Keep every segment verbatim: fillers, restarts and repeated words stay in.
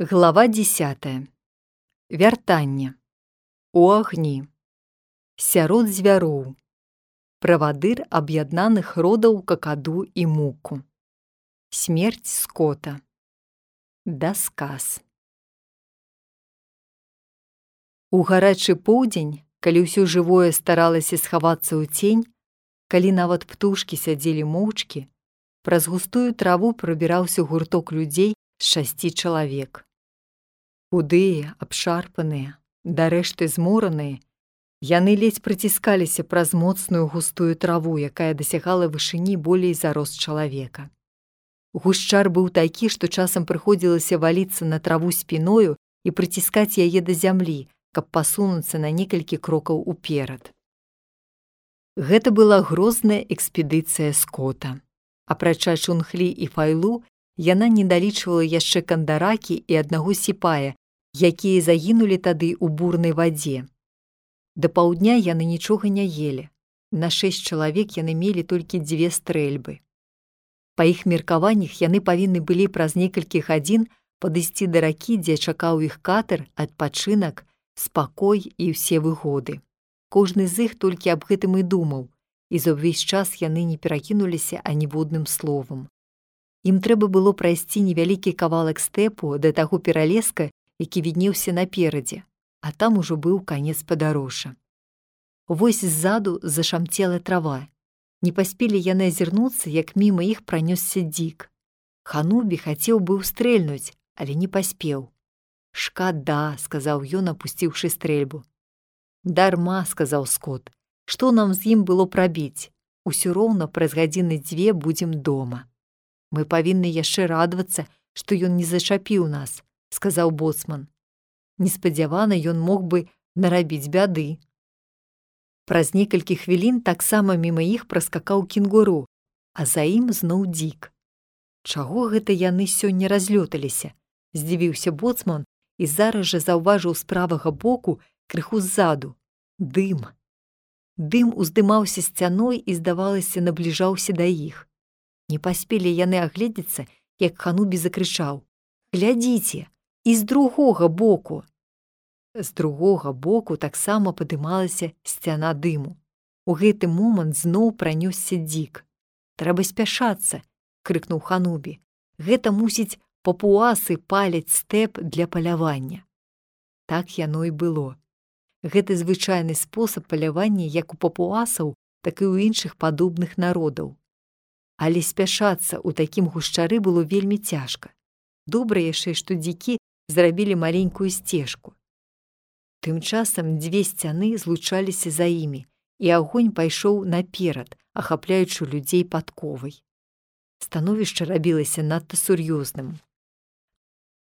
Глава дзесятая. Вяртанне. У агні. Сярод звяроў. Правадыр аб'яднаных родаў какаду і муку. Смерць скота. Дасказ. У гарачы поўдзень, калі ўсё жывое старалася схавацца ў цень, калі нават птушкі сядзелі моўчкі, праз густую траву прабіраўся гурток людзей з шасці чалавек. Худыя, абшарпаныя, дарэшты змораныя, яны ледзь прыціскаліся праз моцную густую траву, якая дасягала вышыні болей за рост чалавека. Гушчар быў такі, што часам прыходзілася валіцца на траву спіною і прыціскаць яе да зямлі, каб пасунуцца на некалькі крокаў уперад. Гэта была грозная экспедыцыя скота. Апрача Чунхлі і Файлу, яна не далічвала яшчэ Кандаракі і аднаго сіпая, якія загінулі тады ў бурнай вадзе. Да паўдня яны нічога не елі. На шэсць чалавек яны мелі толькі дзве стрэльбы. Па іх меркаваннях яны павінны былі праз некалькі гадзін падысці да ракі, дзе чакаў іх катер, адпачынак, спакой і ўсе выгоды. Кожны з іх толькі аб гэтым і думаў, і за ўвесь час яны не перакінуліся аніводным словам. Ім трэба было прайсці невялікі кавалак стэпу да таго пералеска, які віднеўся наперадзе, а там ужо быў канец падарожжа. Вось ззаду зашамцела трава. Не паспелі яны азірнуцца, як міма іх пранёсся дзік. Ханубі хацеў быў стрэльнуць, але не паспеў. «Шкада», — сказаў ён, апусціўшы стрэльбу. «Дарма», — сказаў скот, — «што нам з ім было прабіць? Усё роўна праз гадзіны дзве будзем дома». «Мы павінны яшчэ радавацца, што ён не зачапіў нас», — сказаў боцман. Неспадзявана ён мог бы нарабіць бяды. Праз некалькі хвілін таксама міма іх праскакаў кенгуру, а за ім зноў дзік. «Чаго гэта яны сёння разлёталіся?» — здзівіўся боцман і зараз жа заўважыў з правага боку, крыху ззаду, дым. Дым уздымаўся сцяной і, здавалася, набліжаўся да іх. Не паспелі яны агледзецца, як Ханубі закрычаў: «Глядзіце! І з другога боку!» З другога боку таксама падымалася сцяна дыму. У гэты момант зноў пранёсся дзік. «Трэба спяшацца!» — крыкнуў Ханубі. «Гэта, мусіць, папуасы паляць стэп для палявання». Так яно і было. Гэта звычайны спосаб палявання як у папуасаў, так і ў іншых падобных народаў. Але спяшацца ў такім гушчары было вельмі цяжка. Добра яшчэ, што дзікі зрабілі маленькую сцежку. Тым часам дзве сцяны злучаліся за імі, і агонь пайшоў наперад, ахапляючы людзей падковай. Становішча рабілася надта сур'ёзным.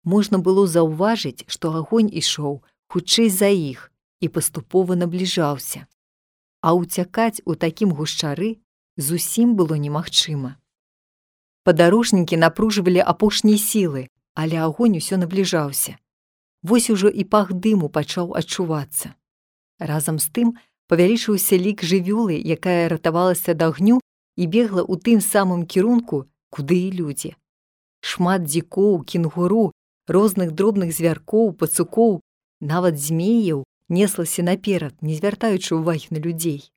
Можна было заўважыць, што агонь ішоў хутчэй за іх і паступова набліжаўся. А ўцякаць у такім гушчары зусім было немагчыма. Падарожнікі напружвалі апошнія сілы, але агонь усё набліжаўся. Вось ужо і пах дыму пачаў адчувацца. Разам з тым павялічыўся лік жывёлы, якая ратавалася ад агню і бегла ў тым самым кірунку, куды і людзі. Шмат дзікоў, кенгуру, розных дробных звяркоў, пацукоў, нават змеяў неслася наперад, не звяртаючы ўвагі на людзей.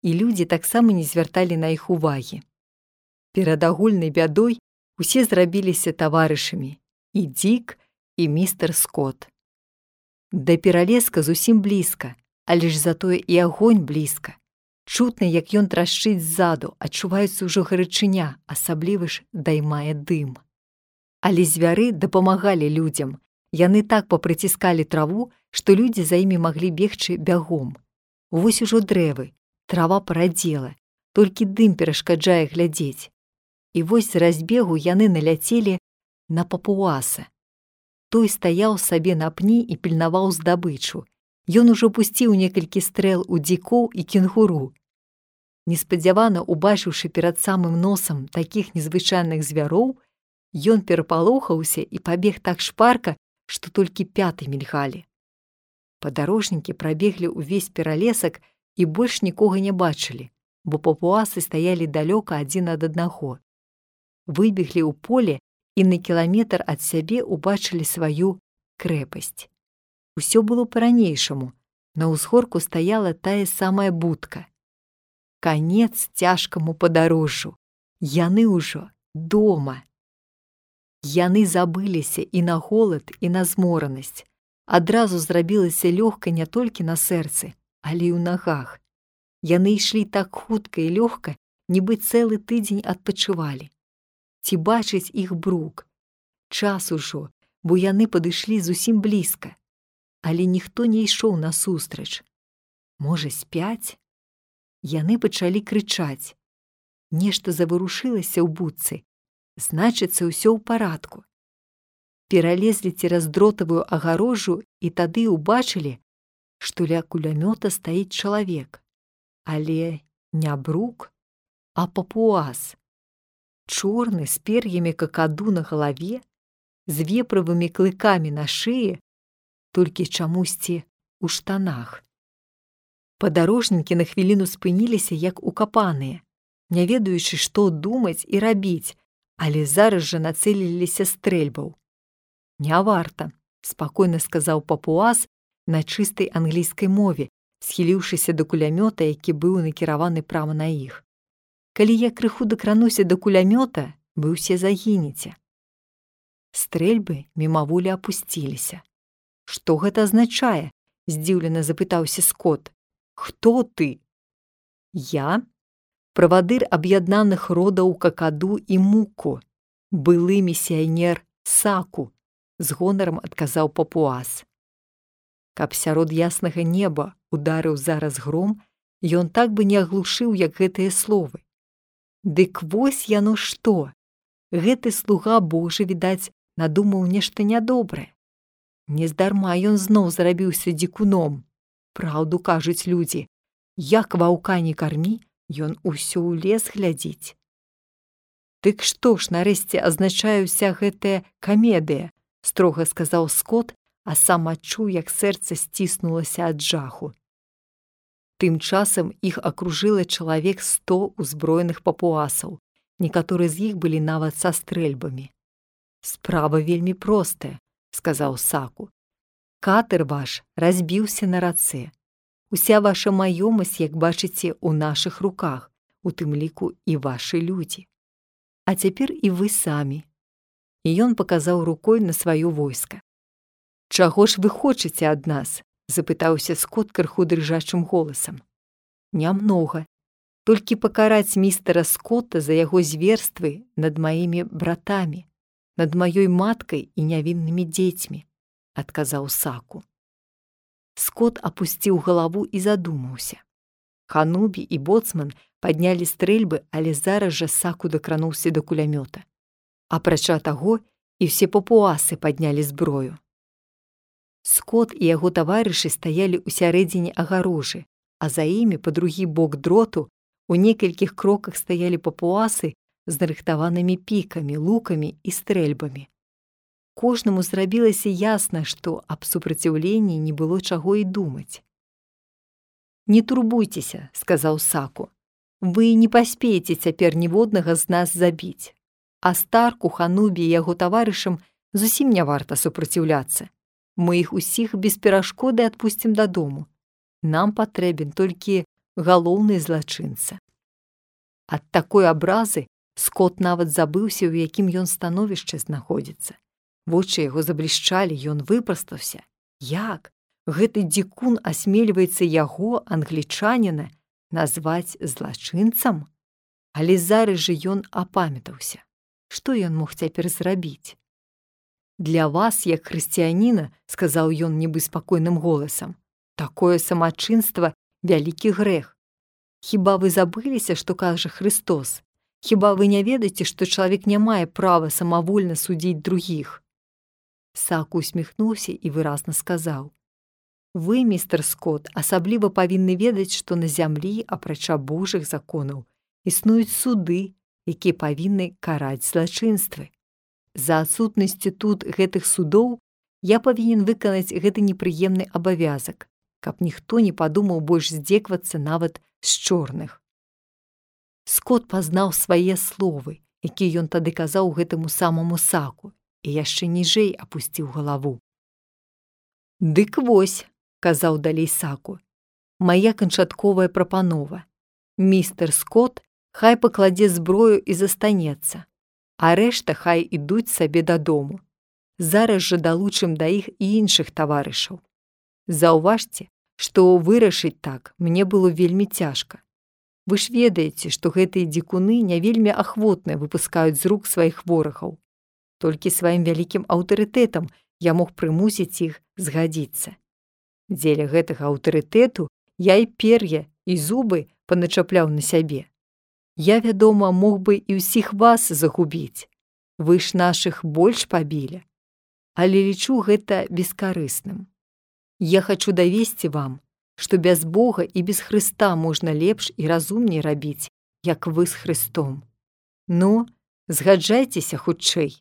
І людзі таксама не звярталі на іх увагі. Перад агульнай бядой усе зрабіліся таварышамі, і дзік, і містер Скот. Да пералеска зусім блізка, але ж затое і агонь блізка. Чутна, як ён трашчыць ззаду, адчуваецца ўжо гарачыня, асабліва ж даймае дым. Але звяры дапамагалі людзям. Яны так папрыціскалі траву, што людзі за імі маглі бегчы бягом. Вось ужо дрэвы, трава парадзела, толькі дым перашкаджае глядзець. І вось з разбегу яны наляцелі на папуаса. Той стаяў сабе на пні і пільнаваў здабычу. Ён ужо пусціў некалькі стрэл у дзікоў і кенгуру. Неспадзявана убачыўшы перад самым носам такіх незвычайных звяроў, ён перапалохаўся і пабег так шпарка, што толькі пяты мільгалі. Падарожнікі прабеглі ўвесь пералесак і больш нікога не бачылі, бо папуасы стаялі далёка адзін ад аднаго. Выбеглі ў поле і на кіламетр ад сябе ўбачылі сваю крэпасць. Усё было па-ранейшаму. На ўзгорку стаяла тая самая будка. Канец цяжкаму падарожжу. Яны ўжо дома. Яны забыліся і на голад, і на зморанасць. Адразу зрабілася лёгка не толькі на сэрцы, але і ў нагах. Яны ішлі так хутка і лёгка, нібы цэлы тыдзень адпачывалі. Ці бачыць іх брук? Час ужо, бо яны падышлі зусім блізка. Але ніхто не ішоў насустрач. Можа, спяць? Яны пачалі крычаць. Нешта заварушылася ў будцы. Значыцца, ўсё ў парадку. Пералезлі цераз дротавую агарожу і тады ўбачылі, што ля кулямёта стаіць чалавек. Але не брук, а папуас. Чорны, з пер'ямі какаду на галаве, з веправымі клыкамі на шыі, толькі чамусьці ў штанах. Падарожнікі на хвіліну спыніліся, як укапаныя, не ведаючы, што думаць і рабіць, але зараз жа нацэліліся стрэльбаў. «Не варта», – спакойна сказаў папуас на чыстай англійскай мове, схіліўшыся да кулямёта, які быў накіраваны прама на іх. «Калі я крыху дакрануся да кулямёта, вы ўсе загінеце». Стрэльбы мімаволі апусціліся. «Што гэта азначае?» – здзіўлена запытаўся Скот. «Хто ты?» «Я – правадыр аб'яднаных родаў какаду і муку, былы місіянер Саку», – з гонарам адказаў папуас. Каб сярод яснага неба ударыў зараз гром, ён так бы не аглушыў, як гэтыя словы. Дык вось яно што! Гэты слуга Божы, відаць, надумаў нешта нядобрае. Нездарма ён зноў зрабіўся дзікуном. Праўду кажуць людзі. Як ваўка не кармі, ён усё ў лес глядзіць. «Дык што ж, нарэшце, азначае ўся гэтая камедыя?» – строга сказаў Скот, а сам адчуў, як сэрца сціснулася ад жаху. Тым часам іх акружыла чалавек сто ўзброеных папуасаў. Некаторыя з іх былі нават са стрэльбамі. «Справа вельмі простая», – сказаў Саку. «Катер ваш разбіўся на рацэ. Уся ваша маёмасць, як бачыце, у нашых руках, у тым ліку і вашы людзі. А цяпер і вы самі». І ён паказаў рукой на сваё войска. «Чаго ж вы хочаце ад нас?» – запытаўся Скот крыху дрыжачым голасам. «Нямнога. Толькі пакараць містера Скотта за яго зверствы над маімі братамі, над маёй маткай і нявіннымі дзецьмі», – адказаў Саку. Скот апусціў галаву і задумаўся. Ханубі і боцман паднялі стрэльбы, але зараз жа Саку дакрануўся да кулямёта. Апрача таго, і ўсе папуасы паднялі зброю. Скот і яго таварышы стаялі ў сярэдзіне агарожы, а за імі, па другі бок дроту, у некалькіх кроках стаялі папуасы з нарыхтаванымі пікамі, лукамі і стрэльбамі. Кожнаму зрабілася ясна, што аб супраціўленні не было чаго і думаць. «Не турбуйцеся», – сказаў Саку. «Вы не паспееце цяпер ніводнага з нас забіць. А Старку, Ханубі і яго таварышам зусім не варта супраціўляцца. Мы іх усіх без перашкоды адпусцім дадому. Нам патрэбен толькі галоўны злачынца». Ад такой абразы Скот нават забыўся, у якім ён становішчы знаходзіцца. Вочы яго заблішчалі, ён выпрастаўся. Як? Гэты дзікун асмельваецца яго, англічаніна, назваць злачынцам? Але зараз жа ён апамятаўся. Што ён мог цяпер зрабіць? «Для вас, як хрысціяніна, – сказаў ён нібы спакойным голасам, – такое самачынства – вялікі грэх. Хіба вы забыліся, што кажа Христос? Хіба вы не ведаеце, што чалавек не мае права самавольна судзіць другіх?» Саку усміхнуўся і выразна сказаў: «Вы, містер Скот, асабліва павінны ведаць, што на зямлі, апрача Божых законаў, існуюць суды, якія павінны караць злачынствы. За адсутнасцю тут гэтых судоў я павінен выканаць гэты непрыемны абавязак, каб ніхто не падумаў больш здзеквацца нават з чорных». Скот пазнаў свае словы які ён тады казаў гэтаму самаму Саку, і яшчэ ніжэй апусціў галаву. «Дык вось», – казаў далей Саку, – «мая канчатковая прапанова. Містер Скотт хай пакладзе зброю і застанецца, а рэшта хай ідуць сабе дадому. Зараз жа далучым да іх і іншых таварышаў. Заўважце, што вырашыць так мне было вельмі цяжка. Вы ж ведаеце, што гэтыя дзікуны не вельмі ахвотна выпускаюць з рук сваіх ворагаў. Толькі сваім вялікім аўтарытэтам я мог прымусіць іх згадзіцца. Дзеля гэтага аўтарытэту я і пер'я, і зубы паначапляў на сябе. Я, вядома, мог бы і ўсіх вас загубіць. Вы ж нашых больш пабілі. Але лічу гэта бескарысным. Я хачу давесці вам, што без Бога і без Хрыста можна лепш і разумней рабіць, як вы з Хрыстом. Ну, згаджайцеся хутчэй».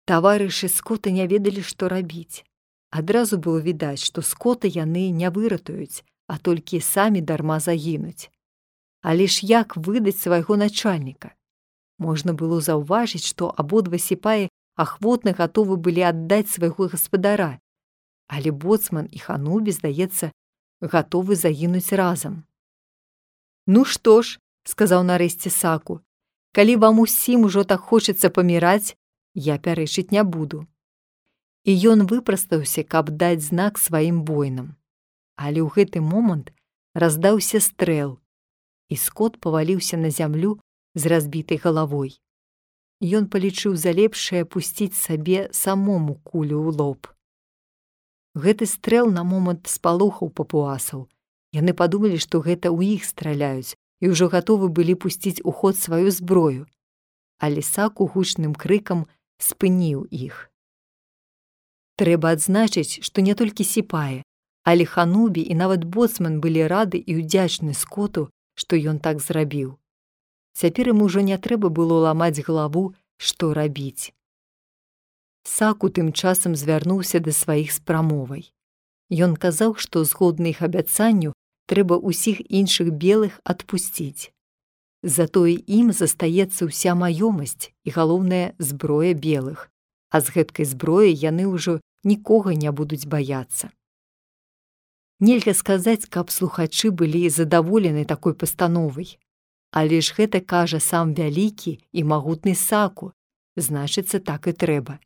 Таварышы Скотта не ведалі, што рабіць. Адразу было відаць, што Скотта яны не выратуюць, а толькі самі дарма загінуць. Але ж як выдаць свайго начальніка? Можна было заўважыць, што абодва сіпаі ахвотна гатовы былі аддаць свайго гаспадара, але боцман і Ханубі, здаецца, гатовы загінуць разам. «Ну што ж», – сказаў нарэшце Саку, – «калі вам усім ужо так хочацца паміраць, я пярэчыць не буду». І ён выпрастаўся, каб даць знак сваім воінам. Але ў гэты момант раздаўся стрэл, і Скотт паваліўся на зямлю з разбітай галавой. Ён палічыў за лепшае пусціць сабе самому кулю ў лоб. Гэты стрэл на момант спалохаў папуасаў. Яны падумалі, што гэта ў іх страляюць, і ўжо гатовы былі пусціць у ход сваю зброю. Але Саку гучным крыкам спыніў іх. Трэба адзначыць, што не толькі сіпаі, але Ханубі і нават боцман былі рады і ўдзячны Скотту, што ён так зрабіў. Цяпер ім ужо не трэба было ламаць галаву, што рабіць. Саку тым часам звярнуўся да сваіх з прамовай. Ён казаў, што згодна іх абяцанню трэба ўсіх іншых белых адпусціць. Затое ім застаецца ўся маёмасць і, галоўнае, зброя белых, а з гэткай зброяй яны ўжо нікога не будуць баяцца. Нельга сказаць, каб слухачы былі задаволены такой пастановай. Але ж гэта кажа сам вялікі і магутны Саку, значыцца, так і трэба.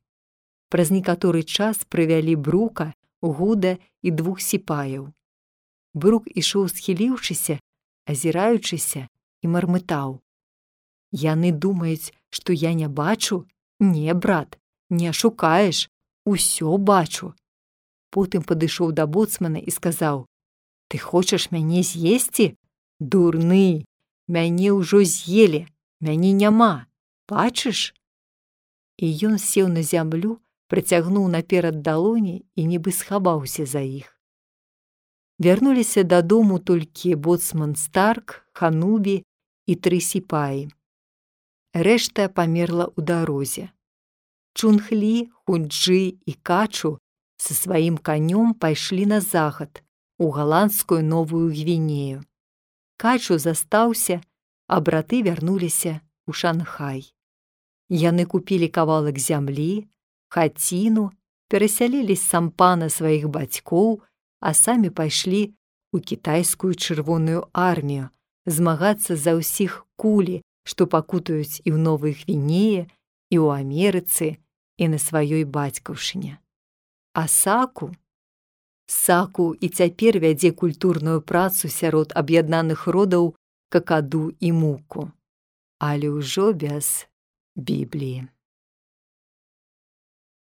Праз некаторы час прывялі Брука, Гуда і двух сіпаяў. Брук ішоў схіліўшыся, азіраючыся, і мармытаў. «Яны думаюць, што я не бачу? Не, брат, не ашукаеш, усё бачу». Потым падышоў да боцмана і сказаў: «Ты хочаш мяне з'есці? Дурны! Мяне ўжо з'елі, мяне няма, бачыш?» І ён сеў на зямлю, працягнуў наперад далоні і нібы схаваўся за іх. Вярнуліся дадому толькі боцман Старк, Ханубі і тры сіпаі. Рэшта памерла ў дарозе. Чунхлі, Хунджы і Качу са сваім канём пайшлі на захад, у галандскую Новую Гвінею. Качу застаўся, а браты вярнуліся ў Шанхай. Яны купілі кавалак зямлі, хаціну, перасялілі з сампана сваіх бацькоў, а самі пайшлі ў кітайскую чырвоную армію змагацца за ўсіх кулі, што пакутаюць і ў Новай Гвінеі, і ў Амерыцы, і на сваёй бацькаўшыне. А Саку? Саку і цяпер вядзе культурную працу сярод аб'яднаных родаў Какаду і Муку, але ўжо без Бібліі.